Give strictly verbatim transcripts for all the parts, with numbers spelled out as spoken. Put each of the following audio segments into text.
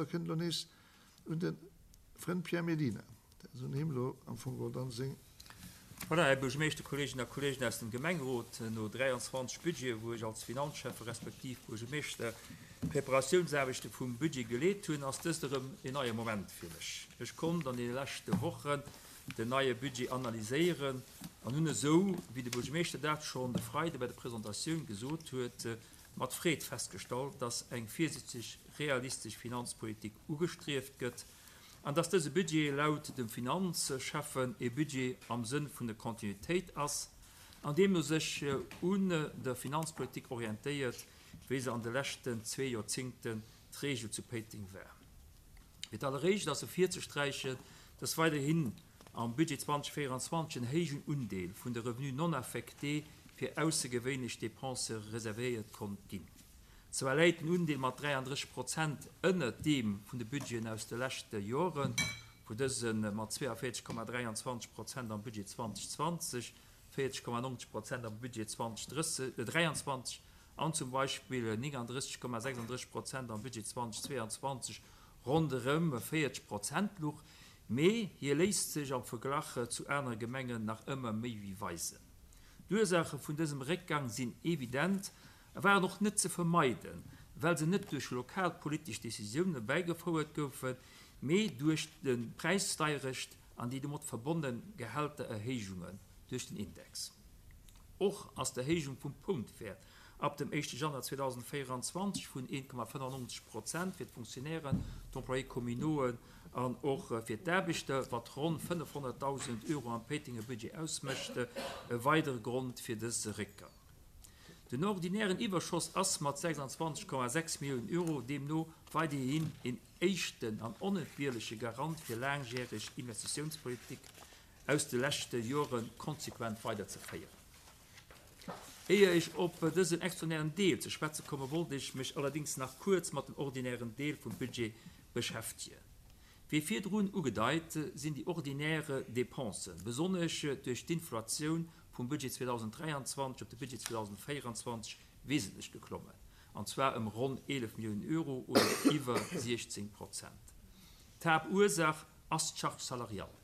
Domadder kënnt elo nees un de Frënd Pierre Mellina, also un him elo am Fong geholl dann seng. Voilà, Här Buergermeeschter, Kolleeginnen a Kolleegen aus dem Gemengerot, no dräianzwanzeg Budgeten, wou ech als Finanzschäffe respektiv Buergermeeschter d'Preparatiounsaarbechte vum Budget geleet hunn, ass dëst erëm en neie Moment fir mech. Ech konnt an deene leschte Wochen den neie Budget analyséieren an hunn esou, wéi de Buergermeeschter dat schonn de Freide bei der Presentatioun gesot huet, mat Freed festgestallt, dass eng virsiichteg realistesch Finanzpolitik ugestrieft gëtt an dass dëse Budget laut dem Finanzschäffen e Budget am Sënn vun der Kontinuitéit ass an deemno sech un der Finanzpolitik orientéiert, wéi se an de leschten zwee Joerzingten d'Regel zu Péiteng war. Fir d'alleréischt ass ervirzesträichen, dass weiderhin am Budget zweitausendvéieranzwanzeg en héijen Undeel vun de Revenus non affectés fir aussergewéinlech Dépensë reservéiert konnt ginn. Zwar läit den Undeel mat dräiandrësseg Prozent ënnert deem vun de Budgeten aus de leschte Joren, wou dëse mat zweeënvéierzeg Komma dräianzwanzeg Prozent am Budget zweitausendzwanzeg, véierzeg Komma neunzeg Prozent am Budget zweitausenddräianzwanzeg an zum Beispill néngandrësseg Komma sechsandrësseg Prozent am Budget zweitausendzweianzwanzeg ronderëm véierzeg Prozent luch, mee hie léisst sech am Verglach zu anere Gemengen nach ëmmer méi wéi weisen. D'Ursaache vun dësem Réckgang sinn evident a waren och net ze vermeiden, well se net duerch lokalpolitesch Decisiounen erbäigefouert goufen, mee duerch d'Präisdeierecht an déi domat verbonne Gehältererhéijungen duerch den Index. Och ass d'Erhéijung vum Punktwäert ab dem éischte Januar zweitausendvéieranzwanzeg vun een Komma fënnefannonzeg Prozent fir d'Fonctionnairen, d'Employés communauxen an och fir d'Aarbechter, wat ronn fënnefhonnertdausend Euro am Péitenger Budget ausmécht, e weidere Grond fir dëse Réckgang. Den ordinären Iwwerschoss ass mat sechsandzwanzeg Komma sechs Milliounen Euro deemno weiderhin een éischten an onentbierleche Garant fir laangjäreg Investitiounspolitik aus de leschte Jore konsequent weiderzeféieren. Éier ech op dësen extraordinären Deel ze schwätze komme wollt ech mech allerdéngs nach kuerz mat dem ordinären Deel vum Budget beschäftegen. Wéi virdrun ugedeit, sinn déi ordinär Dépensen, besonnesch duerch d'Inflatioun vum Budget zweitausenddräianzwanzeg op de Budget zweitausendvéieranzwanzeg, wesentlech geklommen, an zwar ëm ronn eelef Milliounen Euro oder iwwer siechzéng Prozent. D'Haaptursaach ass d'Charge salariale,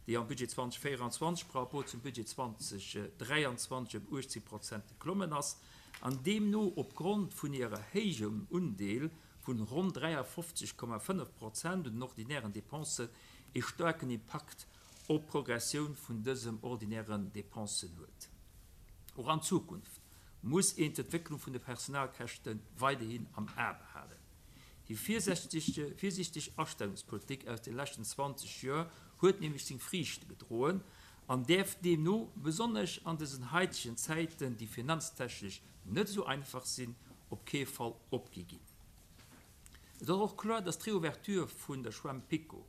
déi am Budget zweitausendvéieranzwanzeg par rapport zum Budget zweitausenddräianzwanzeg ëm uechtzéng Prozent geklommen ass an deemno opgrond vun hirer héijem Undeel vun ronn dräiafofzeg Komma fënnef Prozent un den ordinären Dépensen e staarken Impakt op d'Progressioun vun dësem ordinären Dépensen huet. Och an Zukunft muss een d'Entwécklung vun de Personalkäschte weiderhin am A behalen. Déi virsiichteg Astellungspolitik aus de leschten zwanzeg Joer huet nämlech seng Friichte gedroen an däerf deemno, besonnesch an dësen haitegen Zäiten, déi finanztechnesch net esou einfach sinn, op kee Fall opgi ginn. Et ass och kloer, dass d'Reouverture vun der Schwämm PiKo,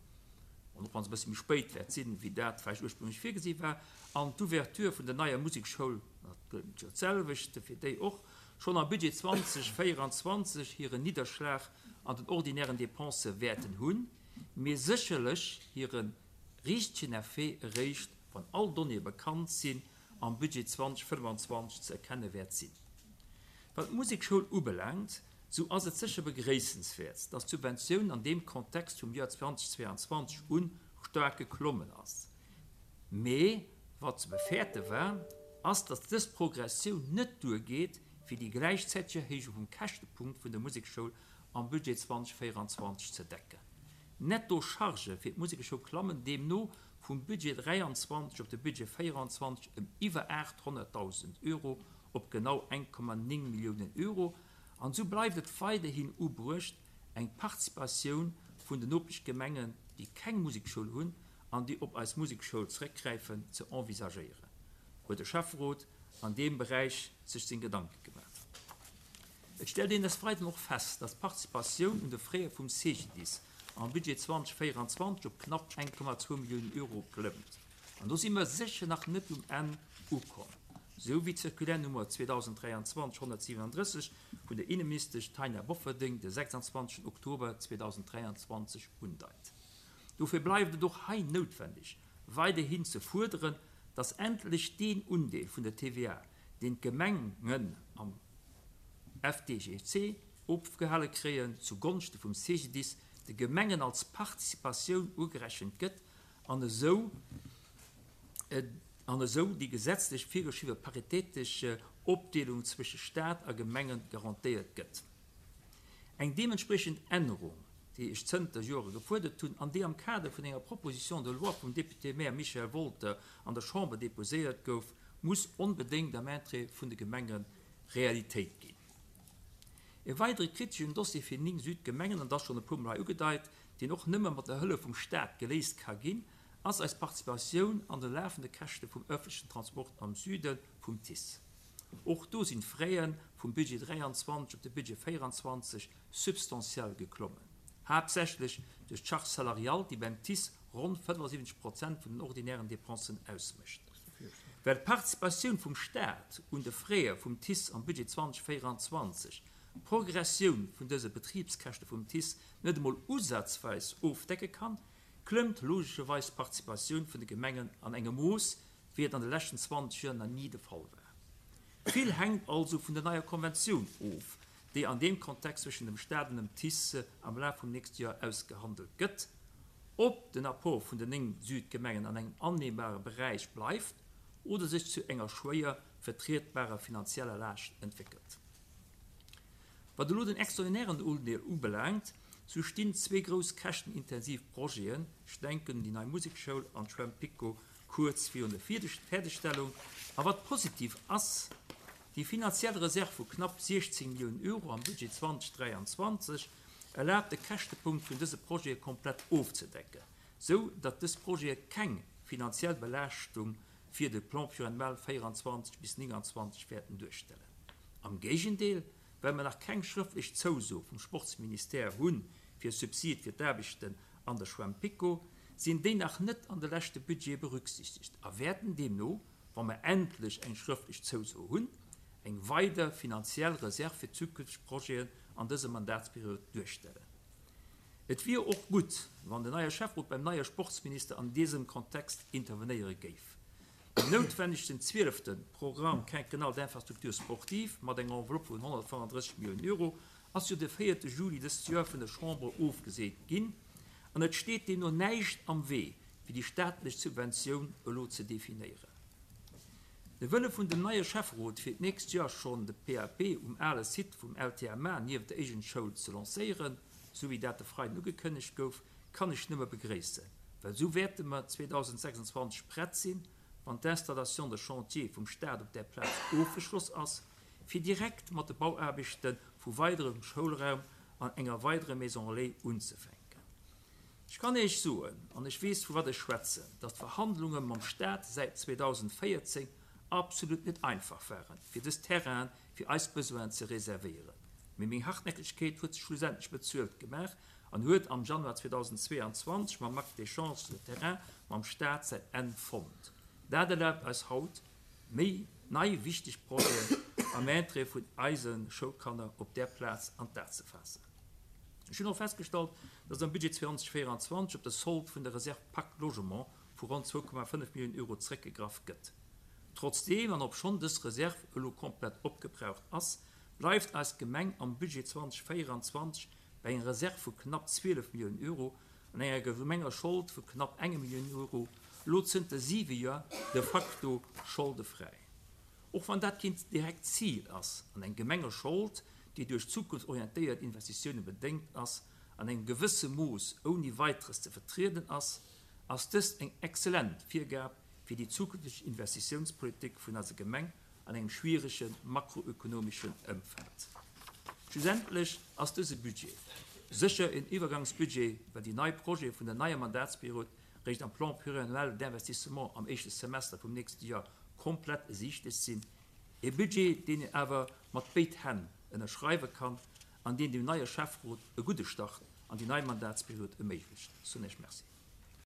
an och wa se e bësse méi spéit wäert sinn, wéi dat vläicht ursprünglech virgesi war, an d'Ouverture vun der neier Musekschoul, dat gëllt jo d'selwecht fir déi och, schonn am Budget zweitausendvéieranzwanzeg hiren Nidderschlag an den ordinären Dépensë wäerten hunn, mee sécherlech hire richtegen Effet eréischt, wann all Donnéeë bekannt sinn, am Budget zweitausendfënnefanzwanzeg ze erkenne wäert sinn. Wat d'Musekschoul ubelaangt, sou ass et sécher begréissenswäert, dass d'Subventioun an deem Kontext vum Joer zweitausendzweianzwanzeg u staark geklommen ass. Mee wat ze befäerte war, ass, dass dës Progressioun net duergeet, fir déi gläichzäiteg Erhéijung vum Käschtepunkt vun der Musekschoul am Budget zweitausendvéieranzwanzeg ze decken. D'Netto-Chargë fir d'Musekeschoul klammen deemno vum Budget dräianzwanzeg op de Budget véieranzwanzeg ëm iwwer aathonnertdausend Euro op genau eng Komma néng Milliounen Euro. An esou bleift et weiderhin ubruecht, eng Participatioun vun den Nopeschgemengen, déi keng Musekschoul hunn an déi op eis Musekschoul zeréckgräifen, ze envisagéieren, huet de Schäfferot an deem Beräich sech seng Gedanke gemaach. Et stellt een des Weideren och fest, dass d'Participatioun un de Frais vum C G D I S am Budget zweitausendvéieranzwanzeg op knapp eng Komma zwou Milliounen Euro klëmmt. An do si mer sécher nach net um Enn ukomm, sou wéi d'Circulaire Nummer zweitausenddräianzwanzeg honnertsiwenundrësseg vun der Inneministesch Taina Bofferding de sechsandzwanzegsten Oktober zweitausenddräianzwanzeg undeit. Dofir bleift et och hei noutwendeg, weiderhin ze fuerderen, dass endlech deen Undeel vun der T V A, deen d'Gemengen am F D G C ofgehale kréien, zu Gonschte vum C G D I S de Gemengen als Participatioun ugerechent gëtt an esou an esou déi gesetzlech virgeschriwwe paritéitesch Opdeelung zwësche Staat a Gemenge garantéiert gëtt. Eng deementspriechend Ännerung, déi ech zënter Jore gefuerdert hunn an déi am Kader vun enger Proposition de loi vum Député-Maire Michel Wolter an der Chamber deposéiert gouf, muss onbedéngt am Interêt vun de Gemenge Realitéit ginn. E weidere kriteschen Dossier fir néng Südgemengen, an dat schonn e puermol hei ugedeit, deen och nëmme mat der Hëllef vum Staat geléist ka ginn, ass eis Participatioun an de lafende Käschte vum ëffentlechen Transport am Süde vum TICE. Och do sinn d'Fraie vum Budget dräianzwanzeg op de Budget véieranzwanzeg substantiell geklommen, haaptsächlech duerch d'Charge salariale, déi beim TICE ronn fënnefasiwwenzeg Prozent vun den ordinären Dépensen ausmécht. Well d'Participatioun vum Staat un de Fraie vum TICE am Budget zweitausendvéieranzwanzeg d'Progressioun vun dëse Betribskäschte vum TICE net emol usazweis ofdecke kann, klëmmt logescherweis d'Participatioun vun de Gemengen an engem Mooss, wéi et an de leschten zwanzeg Joer nach ni de Fall war. Vill hänkt also vun der neier Konventioun of, déi an deem Kontext zwëschen dem Staat an dem TICE am Laf vum nächste Joer ausgehandelt gëtt, ob den Apport vun den néng Südgemengen an engem annehmbare Beräich bleift oder sech zu enger schwéier vertrietbarer finanzieller Laascht entwéckelt. Wat elo den extraordinären Undeel ubelaangt, sou stinn zwee grouss käschtenintensiv Projeten, ech denken un déi nei Musekschoul an d'Schwämm PiKo, kuerz virun der Fäerdegstellung. A wat positiv ass, déi finanziell Reserv vu knapp siechzéng Milliounen Euro am Budget zweitausenddräianzwanzeg erlaabt de Käschtepunkt vun dëse Projete komplett ofzedecken, sou datt dës Projete keng finanziell Belaaschtung fir de Plan pluriannuel véieranzwanzeg bis nénganzwanzeg wäerten duerstellen. Am Géigendeel, well mer nach keng schrëftlech Zouso vum Sportsministère hu fir Subside fir d'Aarbechten an der Schwämm PiKo, sinn déi nach net an de leschte Budgete berücksichtegt a wäerten deemno, wa mer endlech eng schrëftlech Zouso hunn, eng weider finanziell Reserv fir zukünfteg Projeten an dëser Mandatsperiod duerstellen. Et wier och gutt, wann den neie Schäfferot beim neie Sportsminister an désem Kontext intervenéiere géif. Den noutwennegsten zwielefte Programme quinquennal d'infrastructures sportives mat enger Enveloppe vun honnertfënnefandrësseg Milliounen Euro ass jo de véierte Juli dëst Joer vun der Chamber ofgeseent ginn an et steet deemno näischt am Wee, fir déi staatlech Subventioun elo ze definéieren. De Wëlle vun dem neie Schäfferot, fir d'nächst Joer schonn de P A P um ale Site vum L T M A nieft der Éigent-Schoul ze lancéieren, sou wéi dat de Freiden ugekënnegt gouf, kann ech nëmme begréissen, well sou wäerte mer zweitausendsechsundzwanzeg prett sinn, wann d'Installation de chantier vum Staat op där Plaz ofgeschloss ass, fir direkt mat de Bauaarbechte vu weiderem Schoulraum an enger weiderer Maison relais unzefänken. Ech kann Iech soen, an ech weess, vu wat ech schwätzen, datt d'Verhandlunge mam Staat säit zweitausendvéierzéng absolut net einfach waren, fir dës Terrainen fir eis Besoinen ze reservéieren. Mee meng Hartnäckegkeet huet sech schlussendlech bezuelt gemaach an huet am Januar zweitausendzweiundzwanzeg mam Acte d'échange de terrain mam Staat säin Enn fonnt. Dat erlaabt eis haut, méi nei wichteg Projeten am Interêt vun eise Schoulkanner op där Plaz an d'A ze faassen. Ech hunn och festgestallt, datt am Budget zweitausendzweiundzwanzig op de Solde vun der Reserve Pacte Logement vu ronn zwou Komma fënnef Milliounen Euro zeréckgegraff gëtt. Trotzdeem, an obschonn dës Reserve elo komplett opgebraucht ass, bleift eis Gemeng am Budget zweitausendzweiundzwanzig bei enger Reserve vu knapp zwielef Milliounen Euro an enger Gemengeschold vu knapp enger Millioun Euro elo zënter siwe Joer de facto scholdefräi. Och wann dat keen direkt Ziel ass, an eng Gemengeschold, déi duerch zukunftsorientéiert Investitiounen bedéngt ass, an engem gewësse Mooss ouni weiteres ze vertrieden ass, ass dëst eng exzellent Virgab fir déi zukünfteg Investitiounspolitik vun eiser Gemeng an engem schwierege makroökonomischen Ëmfeld. Schlussendlech ass dëse Budget sécher en Iwwergangsbudget, well déi nei Projete vun der neier Mandatsperiod réischt am Plan pluriannuel d'investissement am éischte Semester vum nächste Joer komplett ersiichtlech sinn. E Budget, deen een awer mat béid Hänn ënnerschreiwe kann an deen dem neie Schäfferot e gudde Start an déi nei Mandatsperiod erméiglecht. Soen ech Merci.